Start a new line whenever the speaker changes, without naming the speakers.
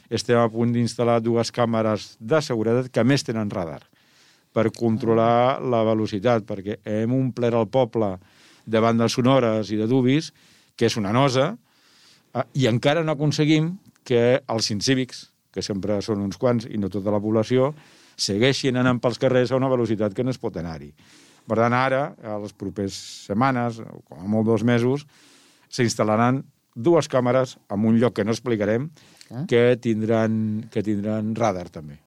estem a punt d'instal·lar 2 càmeres de seguretat que a més tenen radar per controlar la velocitat, perquè hem omplert el poble de bandes sonores i de dubis, que és una nosa, i encara no aconseguim que els incívics, que sempre són uns quants i no tota la població, segueixin anant pels carrers a una velocitat que no es pot anar-hi. Per tant, ara, a les properes setmanes, o com a molt 2 mesos, s'instal·laran 2 càmeres en un lloc que no explicarem, que tindran radar també.